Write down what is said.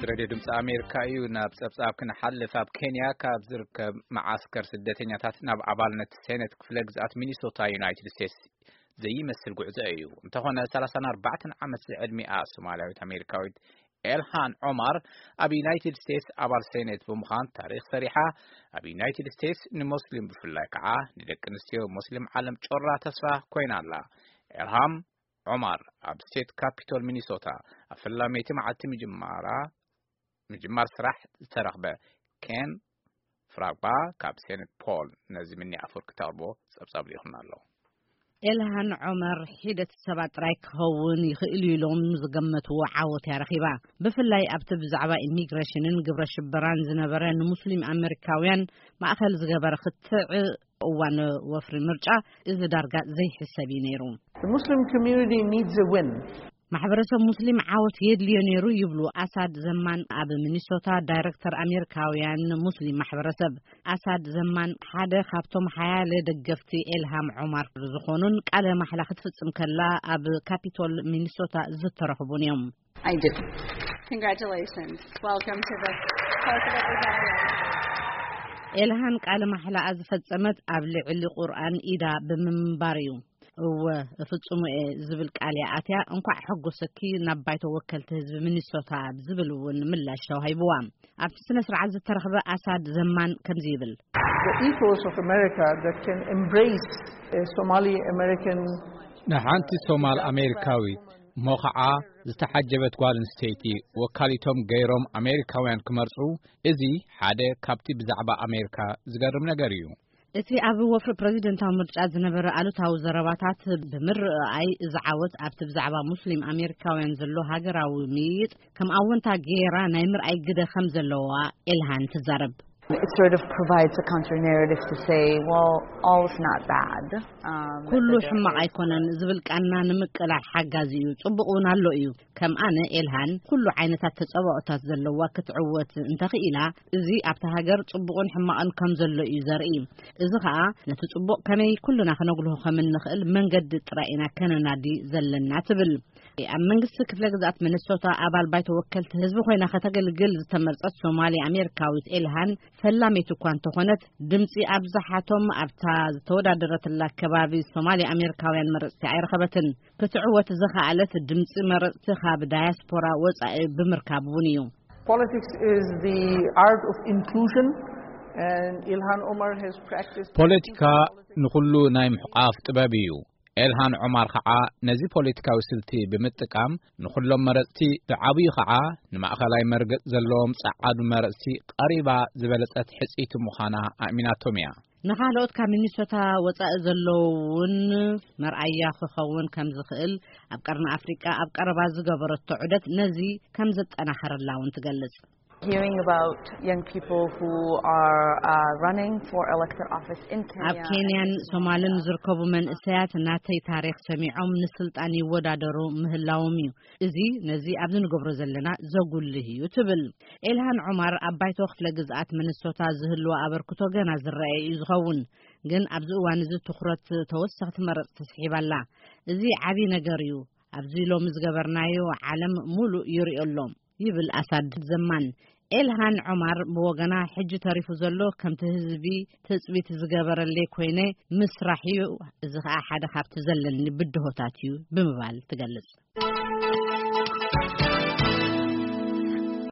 ሬድዮ ድምፂ ኣሜሪካ እዩ። ናብ ፀብፃብ ክንሓልፍ፣ ኣብ ኬንያ ካብ ዝርከብ መዓስከር ስደተኛታት ናብ ኣባልነት ሴኔት ክፍለ ግዝኣት ሚኒሶታ ዩናይትድ ስቴትስ ዘይመስል ጉዕዞ እዩ። እንተኾነ፣ ሰላሳን ኣርባዕተን ዓመት ዝዕድሚኣ ሶማልያዊት ኣሜሪካዊት ኤልሃን ዖማር ኣብ ዩናይትድ ስቴትስ ኣባል ሴኔት ብምዃን ታሪኽ ሰሪሓ፣ ኣብ ዩናይትድ ስቴትስ ንሞስሊም ብፍላይ ከዓ ንደቂ ኣንስትዮ ሞስሊም ዓለም ጮራ ተስፋ ኮይና ኣላ። ኤልሃም ዖማር ኣብ ስቴት ካፒቶል ሚኒሶታ ኣብ ፈላመይቲ መዓልቲ ምጅማራ፣ ምጅማር ስራሕ ዝተረኽበ ኬን ፍራግባ ካብ ሴንት ፖል ነዚ ምኒ ኣፈወርቂ ተቕርቦ ጸብጻብ ልኢኹና ኣሎ። ኤልሃን ዖመር ሒደት ሰባት ጥራይ ክኸውን ይኽእል እዩ ኢሎም ዝገመትዎ ዓወት እያ ረኺባ። ብፍላይ ኣብቲ ብዛዕባ ኢሚግሬሽንን ግብረ ሽበራን ዝነበረ ንሙስሊም ኣመሪካውያን ማእኸል ዝገበረ ክትዕ እዋን ወፍሪ ምርጫ እዚ ዳርጋ ዘይሕሰብ እዩ ነይሩ። The Muslim community needs a win. ማሕበረሰብ ሙስሊም ዓወት የድልዮ ነይሩ ይብሉ ኣሳድ ዘማን፣ ኣብ ሚኒሶታ ዳይሬክተር ኣሜሪካውያን ሙስሊም ማሕበረሰብ። ኣሳድ ዘማን ሓደ ካብቶም ሓያለ ደገፍቲ ኤልሃም ዖማር ዝኾኑን ቃለ ማሕላ ክትፍጽም ከላ ኣብ ካፒቶል ሚኒሶታ ዝተረኽቡን እዮም። I do. Congratulations. Welcome to the House of Representatives. ኤልሃን ቃለ ማሕላኣ ዝፈጸመት ኣብ ልዕሊ ቁርኣን ኢዳ ብምንባር እዩ። እወ፣ እፍጽሙ እየ ዝብል ቃል እያ ኣትያ። እንኳዕ ሐጎሰኪ ናብ ባይቶ ወከልቲ ህዝቢ ሚኒሶታ ዝብል እውን ምላሽ ተዋሂብዋ። ኣብቲ ስነ ስርዓት ዝተረኽበ ኣሳድ ዘማን ከምዚ ይብል። The ethos of America that can embrace a Somali American ንሓንቲ ሶማል ኣሜሪካዊት እሞ ኸዓ ዝተሓጀበት ጓል ኣንስተይቲ ወካሊቶም ገይሮም ኣሜሪካውያን ክመርጹ፣ እዚ ሓደ ካብቲ ብዛዕባ ኣሜሪካ ዝገርም ነገር እዩ። እቲ ኣብ ወፍሪ ፕረዚደንታዊ ምርጫ ዝነበረ ኣሉታዊ ዘረባታት ብምርኣይ፣ እዚ ዓወት ኣብቲ ብዛዕባ ሙስሊም ኣሜሪካውያን ዘሎ ሃገራዊ ምይይጥ ከም ኣወንታ ገይራ ናይ ምርኣይ ግደ ከም ዘለዋ ኤልሃን ትዛረብ። It sort of provides a counter narrative to say, well, all is not bad. Um, ኩሉ ሕማቕ ኣይኮነን ዝብል ቃና ንምቅላዕ ሓጋዚ እዩ። ጽቡቕ እውን ኣሎ እዩ። ከም ኣነ ኤልሃን ኩሉ ዓይነታት ተጸባኦታት ዘለዋ ክትዕወት እንተኽኢላ፣ እዚ ኣብታ ሃገር ጽቡቕን ሕማቕን ከም ዘሎ እዩ ዘርኢ። እዚ ኸኣ ነቲ ጽቡቕ ከመይ ኩልና ክነጉልሆ ከም እንኽእል መንገዲ ጥራይ ኢና ከነናዲ ዘለና ትብል። ኣብ መንግስቲ ክፍለ ግዝኣት ሚኒሶታ ኣባል ባይቶ ወከልቲ ህዝቢ ኮይና ከተገልግል ዝተመርጸት ሶማሊ ኣሜሪካዊት ኤልሃን ፈላመይቲ እኳ እንተኾነት፣ ድምጺ ኣብዝሓቶም ኣብታ ዝተወዳደረትላ ከባቢ ሶማሊ ኣሜሪካውያን መረጽቲ ኣይረኸበትን። ክትዕወት ዝኸኣለት ድምጺ መረጽቲ ካብ ዳያስፖራ ወጻኢ ብምርካብ እውን እዩ። Politics is the art of inclusion, and Ilhan Omar has practiced ፖለቲካ ንኹሉ ናይ ምሕቋፍ ጥበብ እዩ። ኤልሃን ዑማር ኸዓ ነዚ ፖለቲካዊ ስልቲ ብምጥቃም ንኹሎም መረጽቲ፣ ብዓብዩ ኸዓ ንማእኸላይ መርገጽ ዘለዎም ጸዓዱ መረጽቲ ቀሪባ ዝበለጸት ሕጽይቲ ምዃና ኣእሚናቶም እያ። ንኻልኦት ካብ ሚኒሶታ ወጻኢ ዘለዉ እውን መርኣያ ክኸውን ከም ዝኽእል ኣብ ቀርኒ ኣፍሪቃ ኣብ ቀረባ ዝገበረቶ ዑደት ነዚ ከም ዘጠናኸረላ እውን ትገልጽ። Hearing about young people who are, uh, running for elected office in Kenya ኣብ ኬንያን and ሶማልን Somalia. ዝርከቡ መንእሰያት ናተይ ታሪኽ ሰሚዖም ንስልጣን ይወዳደሩ ምህላዎም እዩ። እዚ ነዚ ኣብዚ ንገብሮ ዘለና ዘጉልህ እዩ ትብል። ኤልሃን ዑማር ኣብ ባይቶ ክፍለ ግዝኣት ሚኒሶታ ዝህልዋ ኣበርክቶ ገና ዝረኣየ እዩ ዝኸውን። ግን ኣብዚ እዋን እዚ ትኹረት ተወሰኽቲ መረጽቲ ስሒባ ኣላ። እዚ ዓቢ ነገር እዩ። ኣብዚ ሎሚ ዝገበርናዮ ዓለም ሙሉእ ይሪኦ ኣሎ። ይብል ኣሳድ ዘማን። ኤልሃን ዖማር ብወገና፣ ሕጂ ተሪፉ ዘሎ ከምቲ ህዝቢ ትጽቢት ዝገበረለይ ኮይነ ምስራሕ እዩ፣ እዚ ኸኣ ሓደ ካብቲ ዘለኒ ብድሆታት እዩ ብምባል ትገልጽ።